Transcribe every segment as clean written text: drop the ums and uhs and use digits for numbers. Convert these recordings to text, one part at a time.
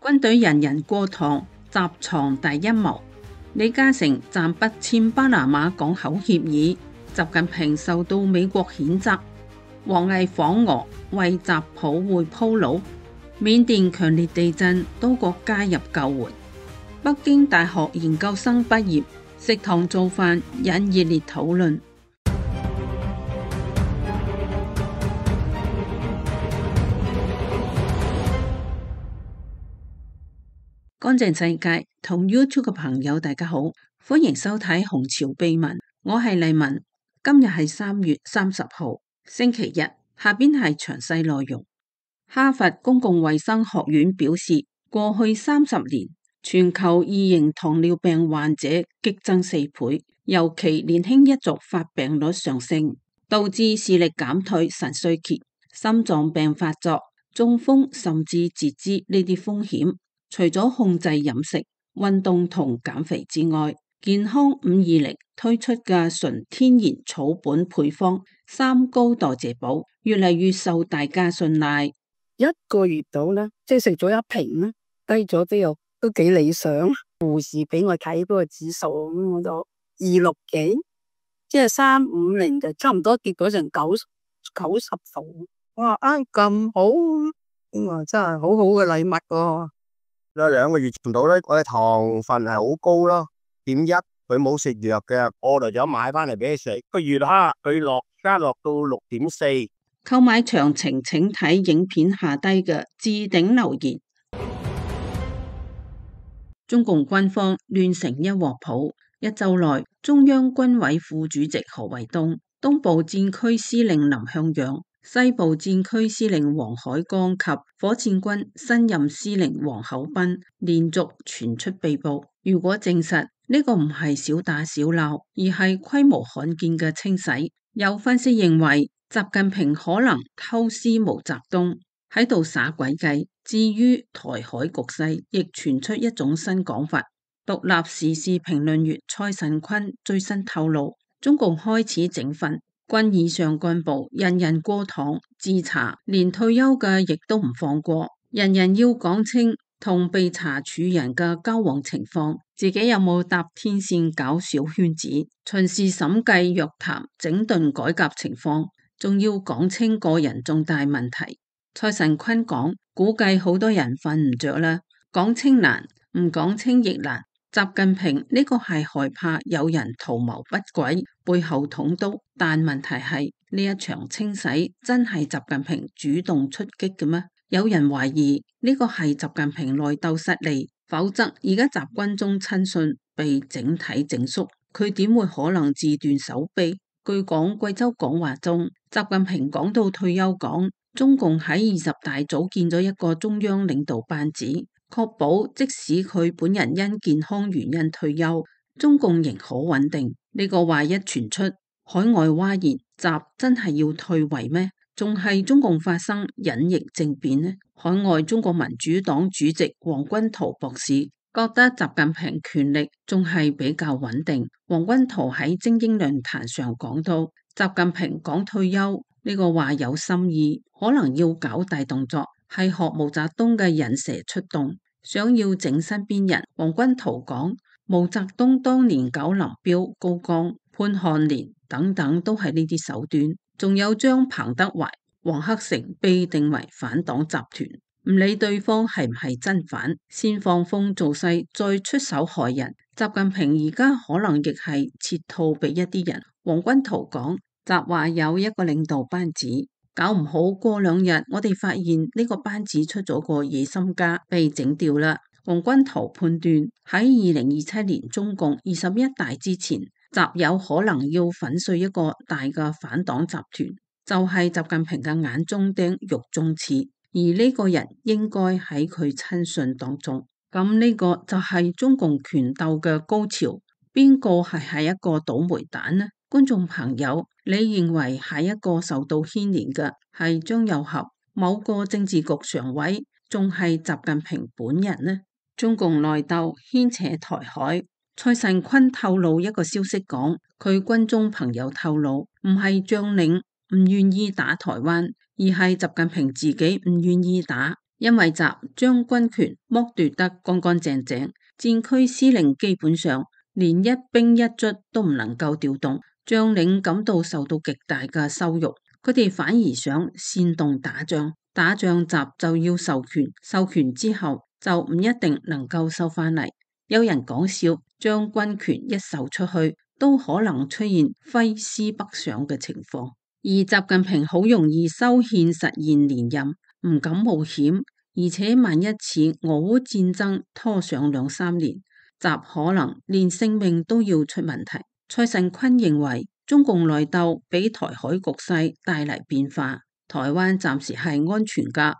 軍隊人人過堂，習藏大陰謀。李嘉誠暫不簽巴拿馬港口協議，習近平受到美國譴責。王毅訪俄為習普會鋪路。緬甸強烈地震，多國加入救援。北京大學研究生畢業，食堂做飯引熱烈討論。乾淨世界同 YouTube 嘅朋友大家好，歡迎收睇紅潮秘聞，我係麗文。今日係3月30號星期日，下邊係詳細內容。哈佛公共衛生學院表示，過去30年全球二型糖尿病患者激增4倍，尤其年輕一族發病率上升，導致視力減退、腎衰竭、心臟病發作、中風甚至截肢呢啲風險。除咗控制飲食、運動同減肥之外，健康520推出嘅純天然草本配方3高代謝寶越嚟越受大家信賴。一個月到啦，即係食咗一瓶啦，低咗都幾理想。護士俾我睇嗰個指數，我就260幾，即係350就差唔多跌咗成90度。我話咁好，我話真係好好嘅禮物喎。2個月唔到咧，我嘅糖分係好高咯，0.1，佢冇食藥嘅，我就咗買翻嚟俾佢食。個月哈，佢加落到6.4。購買詳情請睇影片下低嘅置頂留言。中共軍方亂成一鑊泡，一周內中央軍委副主席何衛東、東部戰區司令林向陽、西部戰區司令黃海江及火箭軍新任司令王厚斌連續傳出被捕。如果證實呢個唔係小打小鬧，而係規模罕見嘅清洗，有分析認為習近平可能偷師毛澤東喺度耍詭計。至於台海局勢，亦傳出一種新講法。獨立時事評論員蔡慎坤最新透露，中共開始整訓。軍以上幹部人人過堂自查，連退休嘅亦都唔放過，人人要講清同被查處人嘅交往情況，自己有冇搭天線搞小圈子，巡視審計約談整頓改革情況，仲要講清個人重大問題。蔡慎坤講，估計好多人瞓唔着啦，講清難，唔講清亦難。習近平呢個係害怕有人圖謀不軌，背後捅刀，但問題係呢一場清洗真係習近平主動出擊嘅咩？有人懷疑呢個係習近平內鬥失利，否則而家習軍中親信被整體整肅，佢點會可能自斷手臂？據講貴州講話中，習近平講到退休講，中共喺20大組建咗一個中央領導班子，確保即使佢本人因健康原因退休，中共仍可穩定。呢個話一傳出，海外嘩然，習真係要退位咩？仲係中共發生隱形政變呢？海外中國民主黨主席王軍濤博士覺得習近平權力仲係比較穩定。王軍濤喺精英論壇上講到，習近平講退休呢個話有心意，可能要搞大動作，係學毛澤東嘅引蛇出洞，想要整身邊人。王軍濤講，毛澤東當年搞林彪、高崗、潘漢年等等都係呢啲手段，仲有將彭德懷、黃克誠被定為反黨集團，唔理對方係唔係真反，先放風造勢，再出手害人。習近平而家可能亦係設套俾一啲人。王軍濤講，習話有一個領導班子，搞唔好過2日，我哋發現呢個班子出咗個野心家，被整掉啦。王軍濤判斷喺2027年中共21大之前，習有可能要粉碎一個大嘅反黨集團，就係習近平嘅眼中釘、肉中刺，而呢個人應該喺佢親信當中。咁呢個就係中共權鬥嘅高潮，邊個係下一個倒霉蛋呢？觀眾朋友，你認為下一個受到牽連嘅係張又俠、某個政治局常委，仲係習近平本人呢？中共內鬥牽扯台海。蔡慎坤透露一個消息講，佢軍中朋友透露，唔係將領唔願意打台灣，而係習近平自己唔願意打。因為習將軍權剝奪得乾乾淨淨，戰區司令基本上連一兵一卒都唔能夠調動，將領感到受到極大嘅羞辱，佢哋反而想煽動打仗，打仗習就要授權，授權之後就唔一定能夠收返嚟。有人講笑，將軍權一授出去，都可能出現揮師北上嘅情況。而習近平好容易修憲實現連任，唔敢冒險，而且萬一次俄烏戰爭拖上2-3年，習可能連性命都要出問題。蔡慎坤認為，中共內鬥俾台海局勢帶嚟變化，台灣暫時係安全㗎。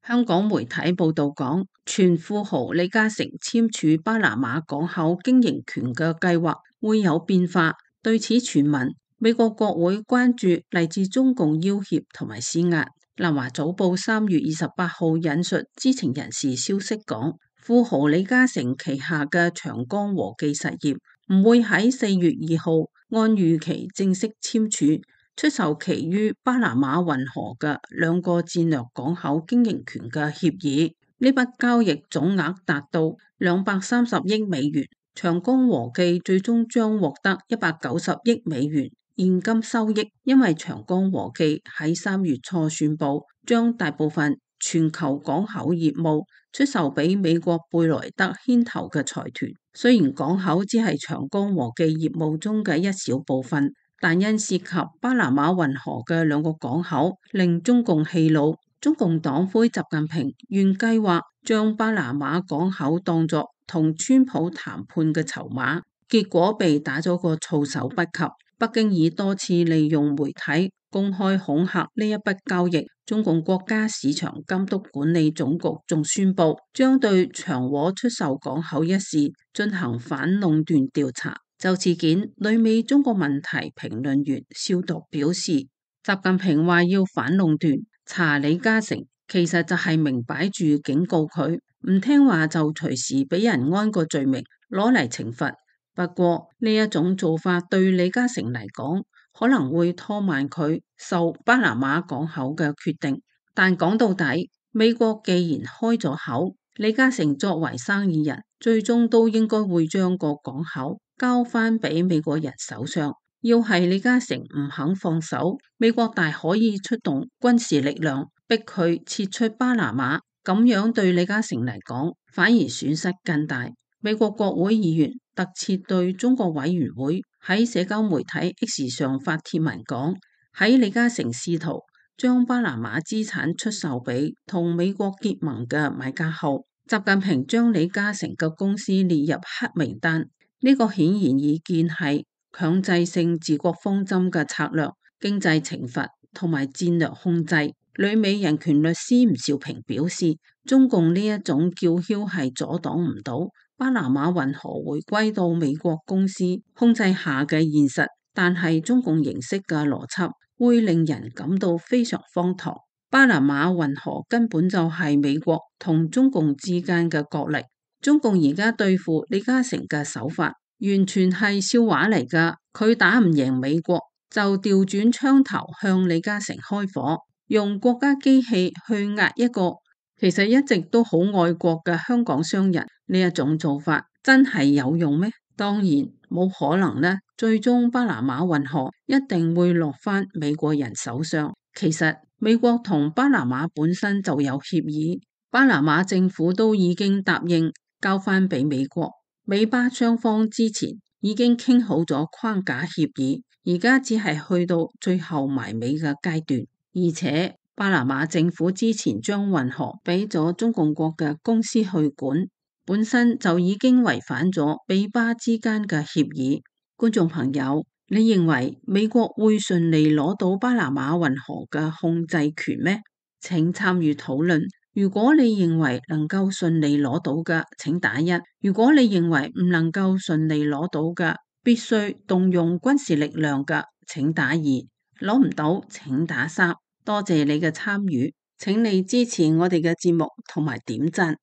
香港媒體報道講，前富豪李嘉誠簽署巴拿馬港口經營權嘅計劃會有變化。對此傳聞，美國國會關注嚟自中共要挾同埋施壓。南華早報3月28號引述知情人士消息講，富豪李嘉誠旗下嘅長江和記實業唔會喺4月2號按預期正式簽署出售其於巴拿馬運河嘅2個戰略港口經營權嘅協議。呢筆交易總額達到230億美元，長江和記最終將獲得190億美元現金收益，因為長江和記喺3月初宣布將大部分全球港口業務出售俾美國貝萊德牽頭嘅財團。雖然港口只係長江和記業務中嘅一小部分，但因涉及巴拿馬運河嘅2個港口，令中共氣惱。中共黨魁習近平原計劃將巴拿馬港口當作同川普談判嘅籌碼，結果被打咗個措手不及。北京已多次利用媒體公開恐嚇呢一筆交易。中共國家市場監督管理總局仲宣布將對長和出售港口一事進行反壟斷調查。就事件，旅美中國問題評論員肖毒表示，習近平話要反壟斷查李嘉誠，其實就係明擺住警告佢唔聽話就隨時俾人安個罪名攞嚟懲罰。不過呢一種做法對李嘉誠嚟講可能會拖慢佢售巴拿馬港口嘅決定。但講到底，美國既然開咗口，李嘉誠作為生意人，最終都應該會將個港口交翻俾美國人手上。要係李嘉誠唔肯放手，美國大可以出動軍事力量逼佢撤出巴拿馬，咁樣對李嘉誠嚟講反而損失更大。美國國會議員特設對中國委員會喺社交媒體 X 上發帖文講，喺李嘉誠試圖將巴拿馬資產出售俾同美國結盟嘅買家後，習近平將李嘉誠嘅公司列入黑名單。呢個顯然已見係強制性治國方針嘅策略、經濟懲罰同埋戰略控制。旅美人權律師吳兆平表示，中共呢一種叫囂係阻擋唔到巴拿馬運河回歸到美國公司控制下嘅現實，但係中共形式嘅邏輯會令人感到非常荒唐。巴拿馬運河根本就係美國同中共之間嘅角力，中共而家對付李嘉誠嘅手法完全係笑話嚟㗎。佢打唔贏美國，就調轉槍頭向李嘉誠開火，用國家機器去壓一個其實一直都好愛國嘅香港商人。呢一種做法真係有用咩？當然冇可能呢。最終巴拿馬運河一定會落返美國人手上。其實美國同巴拿馬本身就有協議，巴拿馬政府都已經答應交返俾美國。美巴雙方之前已經傾好咗框架協議，而家只係去到最後埋尾嘅階段。而且巴拿馬政府之前將運河俾咗中共國嘅公司去管，本身就已經違反咗美巴之間嘅協議。觀眾朋友，你認為美國會順利攞到巴拿馬運河嘅控制權咩？請參與討論。如果你認為能夠順利攞到嘅，請打1；如果你認為唔能夠順利攞到嘅，必須動用軍事力量嘅，請打2；攞唔到，請打3。多謝你嘅參與，請你支持我哋嘅節目同埋點讚。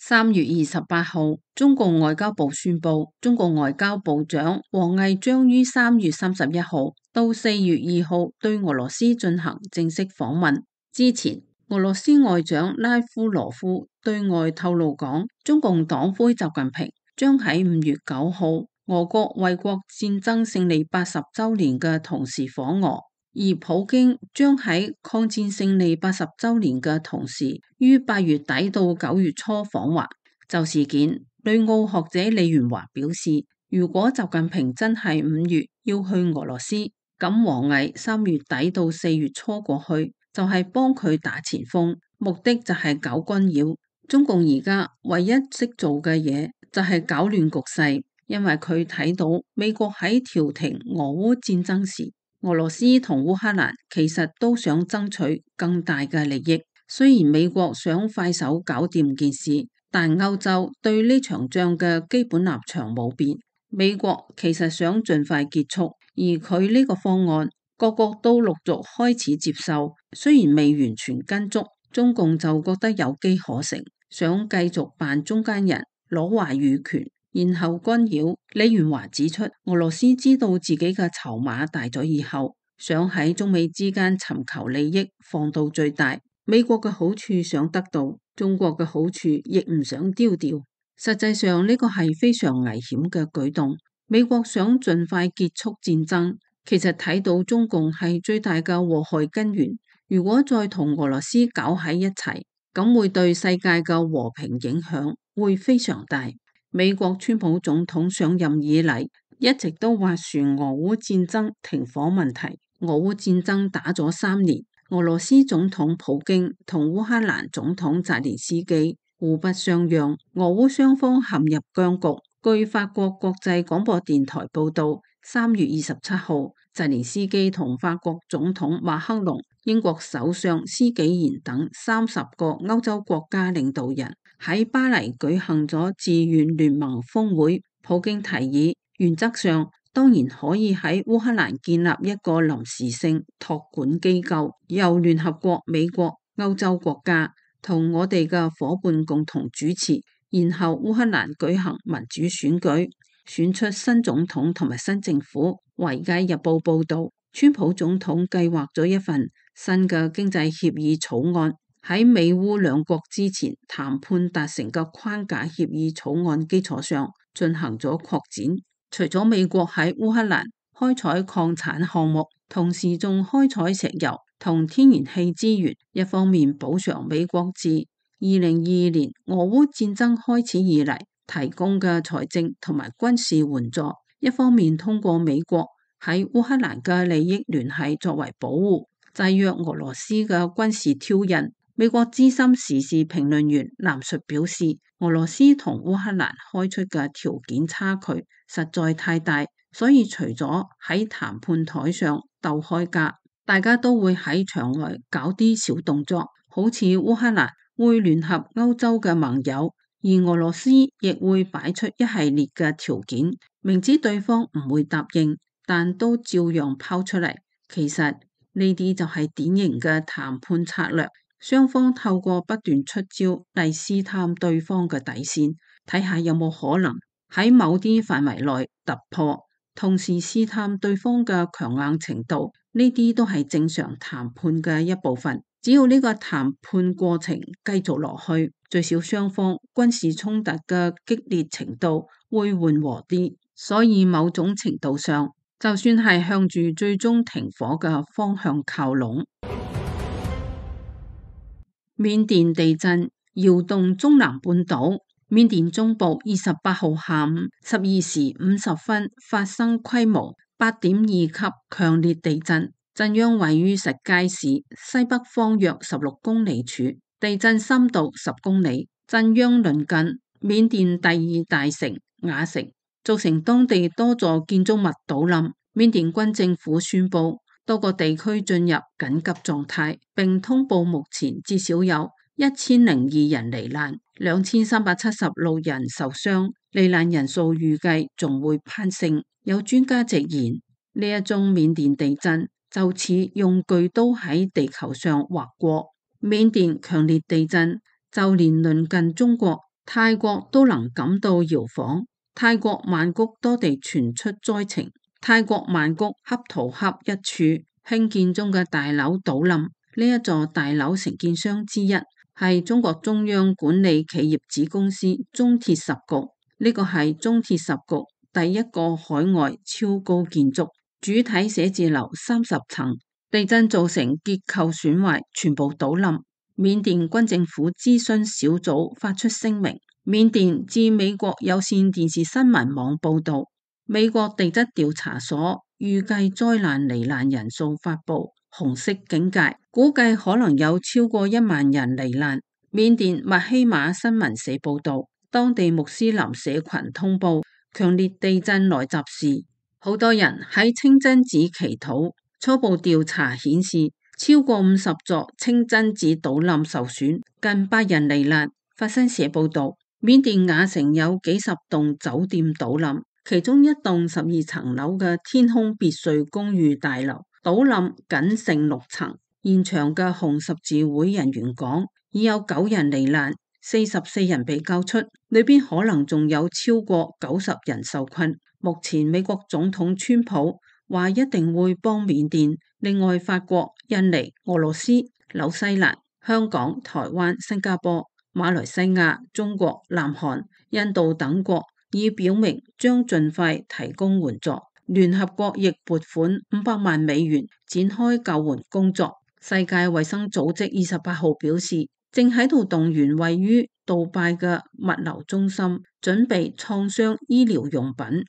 3月28號，中共外交部宣布，中共外交部長王毅將於3月31號到4月2號對俄羅斯進行正式訪問。之前，俄羅斯外長拉夫羅夫對外透露講，中共黨魁習近平將喺5月9號俄國衛國戰爭勝利80週年嘅同時訪俄，而普京將喺抗戰勝利80週年嘅同時於8月底到9月初訪華。就事件，旅澳學者李元華表示，如果習近平真係5月要去俄羅斯，咁王毅3月底到4月初過去，就係幫佢打前鋒，目的就係搞軍擾。中共而家唯一識做嘅嘢就係搞亂局勢，因為佢睇到美國喺調停俄烏戰爭時，俄羅斯同烏克蘭其實都想爭取更大嘅利益。雖然美國想快手搞掂件事，但歐洲對呢場仗嘅基本立場冇變。美國其實想盡快結束，而佢呢個方案各國都陸續開始接受，雖然未完全跟足，中共就覺得有機可乘，想繼續扮中間人，攞話語權，然後軍擾。李元華指出，俄羅斯知道自己嘅籌碼大咗以後，想喺中美之間尋求利益放到最大，美國嘅好處想得到，中國嘅好處亦唔想丟掉。實際上呢個係非常危險嘅舉動。美國想盡快結束戰爭，其實睇到中共係最大嘅禍害根源。如果再同俄羅斯搞喺一齊，咁會對世界嘅和平影響會非常大。美國川普總統上任以嚟，一直都斡旋俄烏戰爭停火問題。俄烏戰爭打咗3年，俄羅斯總統普京同烏克蘭總統澤連斯基互不相讓，俄烏雙方陷入僵局。據法國國際廣播電台報道，3月27號，澤連斯基同法國總統馬克龍、英國首相施紀賢等30個歐洲國家領導人喺巴黎舉行咗自願聯盟峰會。普京提議，原則上當然可以喺烏克蘭建立一個臨時性託管機構，由聯合國、美國、歐洲國家同我哋嘅夥伴共同主持。然後烏克蘭舉行民主選舉，選出新總統同埋新政府。《維佳日報》報道，川普總統計劃咗一份新嘅經濟協議草案，喺美烏兩國之前談判達成嘅框架協議草案基礎上進行咗擴展。除咗美國喺烏克蘭開採礦產項目，同時仲開採石油同天然氣資源，一方面補償美國自2022年俄烏戰爭開始以嚟提供嘅財政同埋軍事援助，一方面通過美國喺烏克蘭嘅利益聯繫作為保護，制約俄羅斯嘅軍事挑釁。美國資深時事評論員藍述表示，俄羅斯同烏克蘭開出嘅條件差距實在太大，所以除咗喺談判台上鬥開價，大家都會喺場外搞啲小動作，好似烏克蘭會聯合歐洲嘅盟友，而俄羅斯亦會擺出一系列嘅條件，明知對方唔會答應，但都照樣拋出嚟。其實呢啲就係典型嘅談判策略，雙方透過不斷出招嚟試探對方嘅底線，睇下有冇可能喺某啲範圍內突破，同時試探對方嘅強硬程度。呢啲都係正常談判嘅一部分。只要呢個談判過程繼續落去，最少雙方軍事衝突嘅激烈程度會緩和啲。所以某種程度上，就算係向住最終停火嘅方向靠攏。緬甸地震搖動中南半島，緬甸中部28號下午12時50分發生規模8.2級強烈地震。震央位於實皆市西北方約16公里處，地震深度10公里。震央鄰近緬甸第2大城雅城，造成當地多座建築物倒冧。緬甸軍政府宣布多個地區進入緊急狀態，並通報目前至少有1002人罹難，2376人受傷，罹難人數預計仲會攀升。有專家直言，呢一宗緬甸地震就似用巨刀喺地球上劃過。緬甸強烈地震，就連鄰近中國泰國都能感到搖晃。泰國曼谷多地傳出災情，泰國曼谷恰圖恰一處興建中嘅大樓倒冧，呢一座大樓承建商之一係中國中央管理企業子公司中鐵十局，呢個係中鐵十局第一個海外超高建築，主體寫字樓30層，地震造成結構損壞，全部倒冧。緬甸軍政府諮詢小組發出聲明。緬甸自美國有線電視新聞網報道，美國地質調查所預計災難罹難人數發布紅色警戒，估計可能有超過1萬人罹難。緬甸密希馬新聞社報道，當地穆斯林社群通報強烈地震來襲時，好多人喺清真寺祈禱。初步調查顯示，超過50座清真寺倒冧受損，近100人罹難。法新社報道，緬甸雅城有幾十棟酒店倒冧，其中一棟12層樓嘅天空別墅公寓大樓倒冧，僅剩6層。現場嘅紅十字會人員講，已有9人罹難，44人被救出，裏邊可能仲有超過90人受困。目前美國總統川普話一定會幫緬甸。另外，法國、印尼、俄羅斯、紐西蘭、香港、台灣、新加坡、馬來西亞、中國、南韓、印度等國已表明將盡快提供援助。聯合國亦撥款500萬美元展開救援工作。世界衛生組織28號表示，正喺度動員位於杜拜嘅物流中心，準備創傷醫療用品。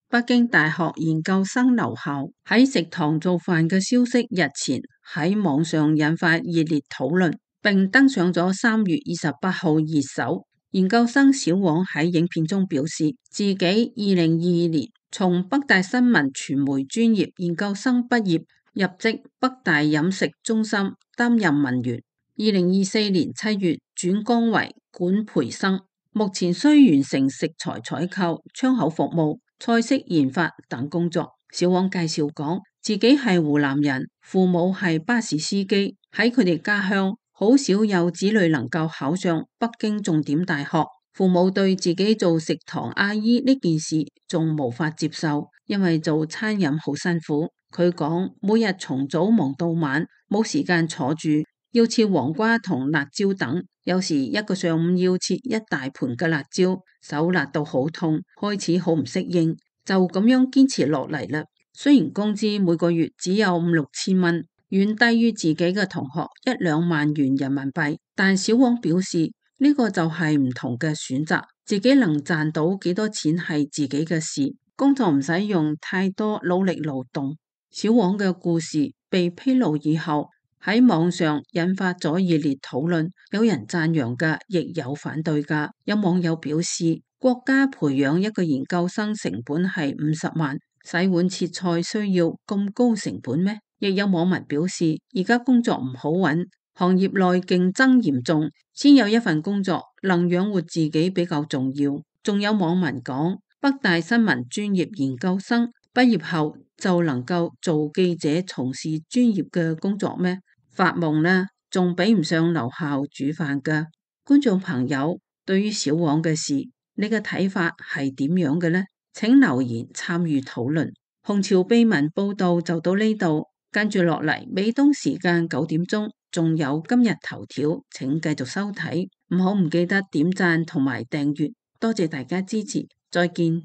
北京大學研究生留校喺食堂做飯嘅消息日前喺網上引發熱烈討論，並登上咗3月28號熱搜。研究生小王喺影片中表示，自己2022年從北大新聞傳媒專業研究生畢業，入職北大飲食中心擔任文員。2024年7月轉崗為管培生，目前需完成食材採購、窗口服務、菜式研發等工作。小王介紹講，自己係湖南人，父母係巴士司機，喺佢哋家鄉好少有子女能夠考上北京重點大學。父母對自己做食堂阿姨呢件事仲無法接受，因為做餐飲好辛苦。佢講，每日從早忙到晚，冇時間坐住，要切黃瓜同辣椒等，有時一個上午要切一大盤嘅辣椒，手辣到好痛，開始好唔適應，就咁樣堅持落嚟啦。雖然工資每個月只有5-6千蚊，遠低於自己嘅同學1-2萬元人民幣，但小王表示呢個就係唔同嘅選擇，自己能賺到幾多錢係自己嘅事，工作唔使用太多努力勞動。小王嘅故事被披露以後，喺網上引發咗熱烈討論，有人讚揚嘅，亦有反對嘅。有網友表示，國家培養一個研究生成本係50萬，洗碗切菜需要咁高成本咩？亦有網民表示，而家工作唔好揾，行業內競爭嚴重，先有一份工作能養活自己比較重要。仲有網民講，北大新聞專業研究生畢業後就能夠做記者，從事專業嘅工作咩？發夢呢，仲比唔上留校煮飯㗎。觀眾朋友，對於小王嘅事，你嘅睇法係點樣嘅呢？請留言參與討論。紅潮秘聞報道就到呢度，跟住落嚟，美東時間9點鐘仲有今日頭條，請繼續收睇，唔記得點讚同埋訂閱，多謝大家支持，再見。